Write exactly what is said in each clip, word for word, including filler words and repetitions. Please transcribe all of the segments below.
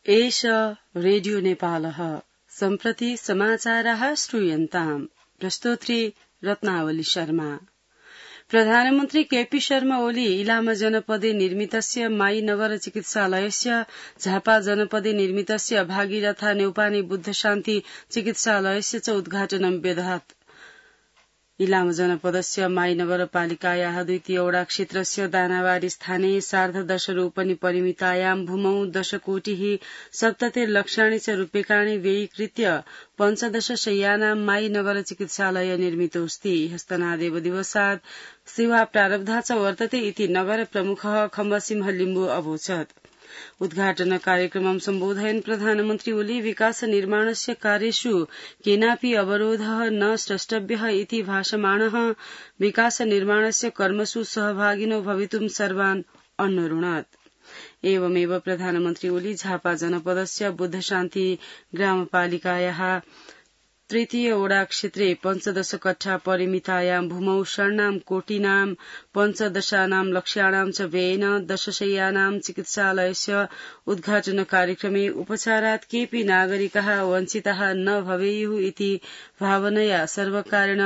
एष रेडियो नेपालः सम्प्रति समाचाराः श्रूयन्ताम्। प्रस्तोत्री रत्नावली शर्मा। प्रधानमन्त्री केपी शर्मा ओली इलाम जनपदे निर्मितस्य माई नगर चिकित्सालयस्य झापा जनपदे निर्मितस्य भागीरथा नेउपाने बुद्ध शान्ति चिकित्सालयस्य च उद्घाटनं व्यदधात्। इलाम जनपदस्य माई नगरपालिकायाः द्वितीय वडा क्षेत्रस्य दानावारी स्थाने सार्धदशरूपनि परिमितायां भूमौ दशकोटिः सप्ततिर्लक्षाणि च रूप्यकाणि व्ययीकृत्य पञ्चदश शय्यानां माई नगर चिकित्सालय निर्मितोऽस्ति। हस्तनादेव दिवसात् सेवा प्रारब्धा च वर्तते इति नगर प्रमुखः खम्बसिंह लिम्बु अवोचत्। उद्घाटन कार्यक्रमं सम्बोधयन् प्रधानमन्त्री ओली विकास निर्माणस्य कार्येषु केनापि अवरोधः न स्रष्टव्यः इति भाषमाणः विकास निर्माणस्य कर्मसु सहभागिनो भवितुं सर्वान् अन्वरुणत्। एवमेव प्रधानमन्त्री ओली झापा जनपदस्य बुद्ध शान्ति ग्रामपालिकायाः तृतीय वडा क्षेत्रे पञ्चदश कट्ठा परिमितायां भूमौ षण्णां कोटिनां पञ्चदशानां लक्ष्याणां च व्ययेन दशशय्यानां चिकित्सालयस्य उद्घाटन कार्यक्रमे उपचारात् केऽपि नागरिकाः वञ्चिताः न भवेयुः इति भावनया सर्वकारेण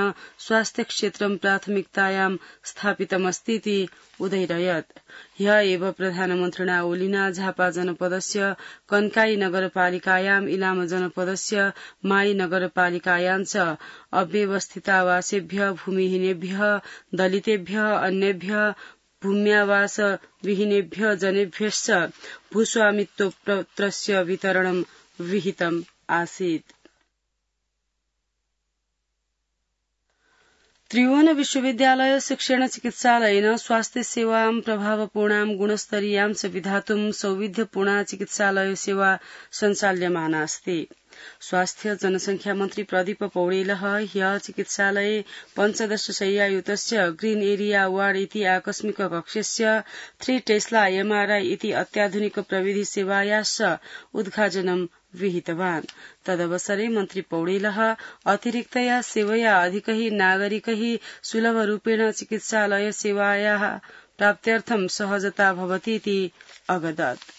स्वास्थ्य क्षेत्रं प्राथमिकतायां स्थापितमस्तीति उदैरयत्। ह्य एव प्रधानमन्त्रिणा ओलिना झापा जनपदस्य कन्काई नगरपालिकायां इलाम जनपदस्य माई नगरपालिकायां च अव्यवस्थितावासेभ्य भूमिहीनेभ्य दलितेभ्य अन्येभ्य भूम्यावास विहीनेभ्य जनेभ्यश्च भूस्वामित्वपत्रस्य वितरणं विहितम् आसीत्। त्रिभुवन विश्वविद्यालय शिक्षण चिकित्सालयेन स्वास्थ्य सेवां प्रभावपूर्णां गुणस्तरीयां च विधातुं सौविध्यपूर्णा चिकित्सालय सेवा सञ्चाल्यमाना अस्ति। स्वास्थ्य जनसंख्या मन्त्री प्रदीप पौडेलः ह्य चिकित्सालये पञ्चदश शय्यायुतस्य ग्रीन एरिया वार्ड इति आकस्मिक कक्षस्य थ्री टेस्ला एमआरआई इति अत्याधुनिक प्रविधि सेवायाश्च उद्घाटनं विहितवान्। तदवसरे मन्त्री पौडेलः अतिरिक्तया सेवया अधिकैः नागरिकैः सुलभरूपेण चिकित्सालय सेवायाः प्राप्त्यर्थं सहजता भवतीति अवदत्।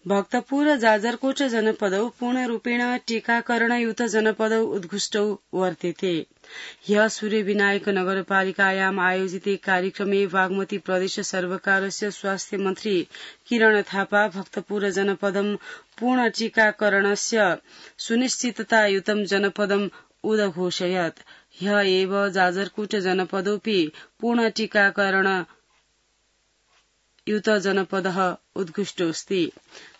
भक्तपुर जाजरकोट जनपदौ पूर्णरूपेण टीकाकरणयुत जनपदौ उत्कृष्टौ वर्तेते। ह्य सूर्यविनायक नगरपालिकायाम् आयोजिते कार्यक्रमे बागमती प्रदेश सर्वकारस्य स्वास्थ्य मन्त्री किरण थापा भक्तपुर जनपदं पूर्ण टीकाकरणस्य सुनिश्चिततायुतं जनपदम् उदघोषयत्। ह्य एव जाजरकोट जनपदोऽपि पूर्ण टीकाकरण युत जनपदः उत्कृष्टोऽस्ति।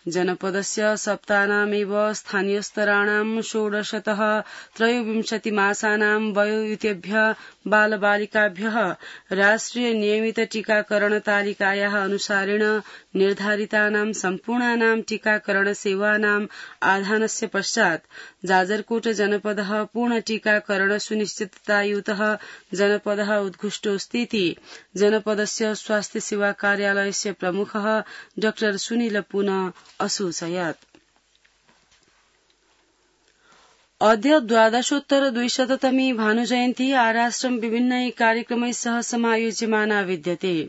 जनपदस्य सप्तानामेव स्थानीयस्तराणां षोडशतः त्रयोविंशति मासानां वयोयुतेभ्यः बालबालिकाभ्यः राष्ट्रिय नियमित टीकाकरण तालिकायाः अनुसारेण निर्धारितानां सम्पूर्णानां टीकाकरण सेवानाम् आधानस्य पश्चात् जाजरकोट जनपदः पूर्ण टीकाकरण सुनिश्चिततायुतः जनपदः उत्कृष्टोऽस्तीति जनपदस्य स्वास्थ्य सेवा कार्यालयस्य प्रमुखः डॉ सुनील पुनः असूचयत्। अद्य द्वादशोत्तर द्विशततमी भानुजयन्ती आराष्ट्रं विभिन्नै कार्यक्रमैः सह समायोज्यमाना विद्यते।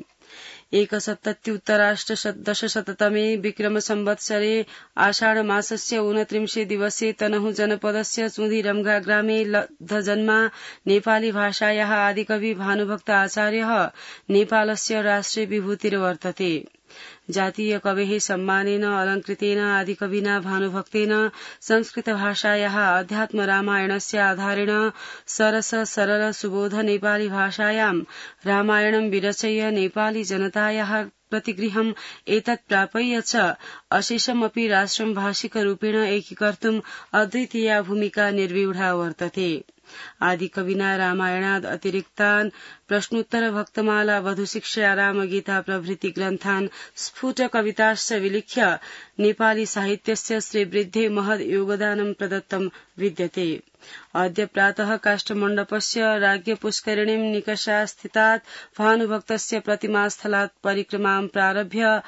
एकसप्तत्युत्तराष्टदशशततमे विक्रम संवत्सरे आषाढमासस्य ऊनत्रिंशे दिवसे तनहु जनपदस्य सुधिरमघा ग्रामे लब्धजन्मा नेपाली भाषायाः आदिकवि भानुभक्त आचार्यः नेपालस्य राष्ट्रिय विभूतिर्वर्तते। जातीय कवेः सम्मानेन अलंकृतेन आदिकविना भानुभक्तेन संस्कृत भाषायाः अध्यात्म रामायणस्य आधारेण सरस सरल सुबोध नेपाली भाषायां रामायणं विरचय्य नेपाली जनतायाः प्रतिगृहम् एतत् प्रापय्य च अशेषमपि राष्ट्रं भाषिकरूपेण एकीकर्तुम् अद्वितीया भूमिका निर्व्यूढा वर्तते। आदिकविना रामायणाद् अतिरिक्तान् प्रश्नोत्तर भक्तमाला वधुशिक्षा रामगीता प्रभृति ग्रन्थान् स्फुट कविताश्च विलिख्य नेपाली साहित्यस्य श्रीवृद्धे महद् योगदानं प्रदत्तं विद्यते। अद्य प्रातः काष्ठमण्डपस्य राज्ञपुष्करिणीं निकषा स्थितात् भानुभक्तस्य प्रतिमास्थलात् परिक्रमां प्रारभ्य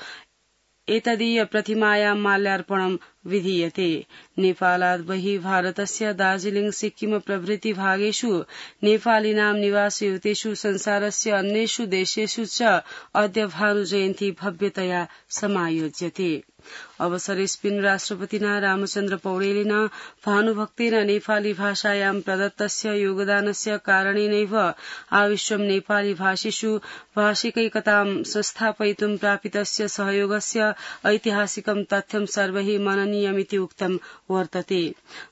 एतदीय प्रतिमायां माल्यार्पणं विधीयते। नेपालात् बहिः भारतस्य दार्जिलिंग सिक्किम प्रभृति भागेषु नेपालिनां निवासयुतेषु संसारस्य अन्येषु देशेषु च अद्य भानुजयन्ती भव्यतया समायोज्यते। अवसरेऽस्मिन् राष्ट्रपतिना रामचन्द्र पौडेलेन भानुभक्तेन नेपाली भाषायां प्रदत्तस्य योगदानस्य कारणेनैव आविश्वं नेपाली भाषिषु भाषिकैकतां संस्थापयितुं प्रापितस्य सहयोगस्य ऐतिहासिकं तथ्यं सर्वैः मननीयमिति उक्तं वर्तते।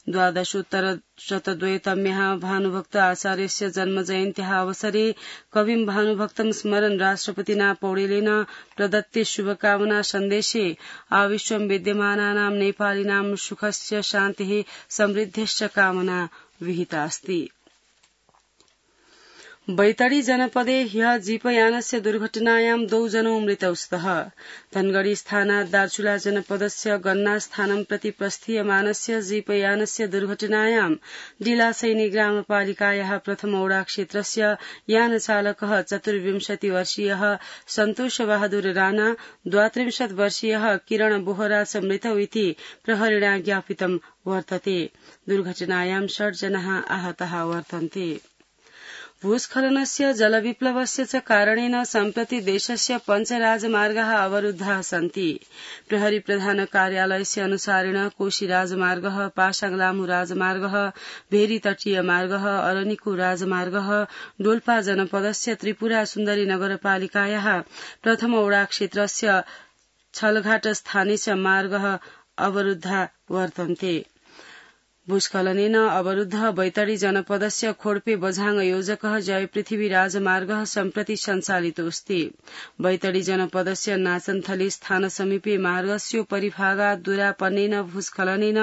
द्वादशोत्तर शतद्वयतम्याः भानुभक्त आचार्यस्य जन्मजयन्त्याः अवसरे कविं भानुभक्तं स्मरन् राष्ट्रपतिना पौडेलेन प्रदत्ते शुभकामना सन्देशे आविश्वं विद्यमानानां नेपालिनां सुखस्य शान्तिः समृद्धिश्च कामना विहितास्ति। बैतडी जनपदे ह्यः जीपयानस्य दुर्घटनायां द्वौ जनौ मृतौ स्तः। धनगढ़ी स्थानात् दार्चुला जनपदस्य गन्ना स्थानं प्रति प्रस्थीयमानस्य जीपयानस्य दुर्घटनायां डिलासैनी ग्रामपालिकायाः प्रथमौडा क्षेत्रस्य यानचालकः चतुर्विंशति वर्षीयः सन्तोष बहादुर राणा, द्वात्रिंशत् वर्षीयः किरण बोहरा च मृतौ इति प्रहरिणा ज्ञापितं वर्तते। दुर्घटनायां षड् जनाः आहताः वर्तन्ते। भूस्खलनस्य जलविप्लवस्य च कारणेन सम्प्रति देशस्य पञ्चराजमार्गाः अवरुद्धाः सन्ति। प्रहरी प्रधान कार्यालयस्य अनुसारेण कोशी राजमार्गः, पासाङ लामू राजमार्गः, भेरी तटीय मार्गः, अरनिको राजमार्गः, डोल्पा जनपदस्य त्रिपुरा सुन्दरी नगरपालिकायाः प्रथमौडा क्षेत्रस्य छलघाट स्थाने च मार्गः अवरुद्धा वर्तन्ते। भूस्खलनेन अवरुद्ध बैतडी जनपदस्य खोड्पे बझाङ योजकः जय पृथ्वी राजमार्गः सम्प्रति सञ्चालितोऽस्ति। बैतडी जनपदस्य नाचनथली स्थान समीपे मार्गस्योपरि भागात् दुरापन्नेन भूस्खलनेन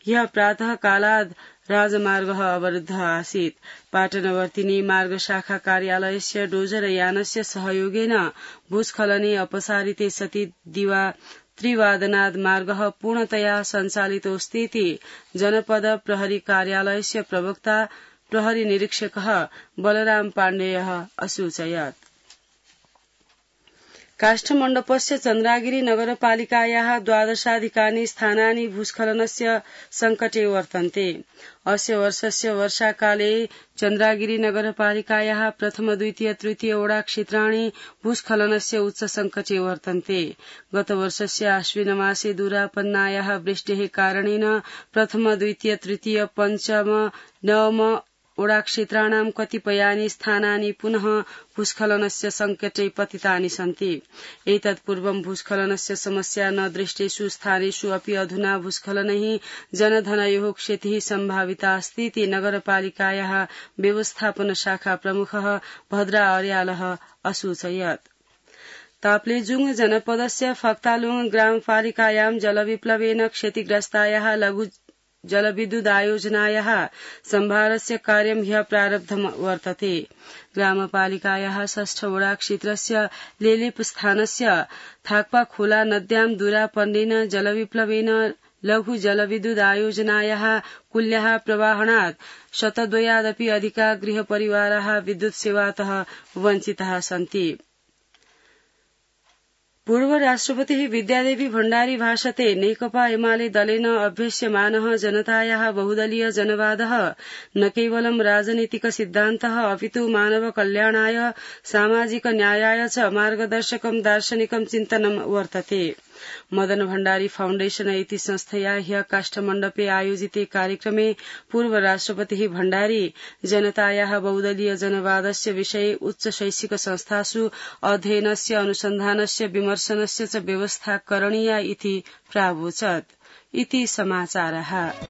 ह्यः प्रातः कालाद् राजमार्गः अवरुद्धः आसीत्। पाटनवर्तिनी मार्ग शाखा कार्यालयस्य डोजर यानस्य सहयोगेन भूस्खलने अपसारिते सति दिवा त्रिवादनाद् मार्गः पूर्णतया सञ्चालितोऽस्तीति जनपद प्रहरी कार्यालयस्य प्रवक्ता प्रहरी निरीक्षकः बलराम पाण्डेयः असूचयत्। काष्ठमण्डपस्य चन्द्रागिरी नगरपालिकायाः द्वादशाधिकानि स्थानानि भूस्खलनस्य सङ्कटे वर्तन्ते। अस्य वर्षस्य वर्षाकाले चन्द्रागिरी नगरपालिकायाः प्रथम द्वितीय तृतीय ओडा क्षेत्राणि भूस्खलनस्य उच्च सङ्कटे वर्तन्ते। गतवर्षस्य आश्विनमासे दुरापन्नायाः वृष्टेः कारणेन प्रथम द्वितीय तृतीय पञ्चम नवम ओडा क्षेत्राणां कतिपयानि स्थानानि पुनः भूस्खलनस्य सङ्कटे पतितानि सन्ति। एतत् पूर्वं भूस्खलनस्य समस्या न दृष्टेषु स्थानेषु अपि अधुना भूस्खलनैः जनधनयोः क्षतिः सम्भाविता अस्ति इति नगरपालिकायाः व्यवस्थापन शाखा प्रमुखः भद्रा अर्यालः असूचयत्। ताप्लेजुङ जनपदस्य फक्तालुङ ग्रामपालिकायां जलविप्लवेन क्षतिग्रस्तायाः लघु जलविद्युदायोजनायाः सम्भारस्य कार्यं ह्यः प्रारब्धं वर्तते। ग्रामपालिकायाः षष्ठ ओडा क्षेत्रस्य लेलेप स्थानस्य थाक्पा खोला नद्यां दुरापन्नेन जलविप्लवेन लघु जलविद्युदायोजनायाः कुल्याः प्रवाहणात् शतद्वयादपि अधिका गृहपरिवाराः विद्युत् सेवातः वञ्चिताः सन्ति। पूर्व राष्ट्रपतिः विद्यादेवी भण्डारी भाषते नेकपा एमाले दलेन अभ्यस्यमानः जनतायाः बहुदलीय जनवादः न केवलं राजनीतिक सिद्धान्तः अपितु मानव कल्याणाय सामाजिक न्यायाय च मार्गदर्शकं दार्शनिकं चिन्तनं वर्तते। मदन भण्डारी फाउण्डेशन इति संस्थया ह्यः काष्ठमण्डपे आयोजिते कार्यक्रमे पूर्व राष्ट्रपतिः भण्डारी जनतायाः बहुदलीय जनवादस्य विषये उच्च शैक्षिक संस्थासु अध्ययनस्य अनुसन्धानस्य विमर्शनस्य च व्यवस्था करणीया इति प्रावोचत्। इति समाचारः।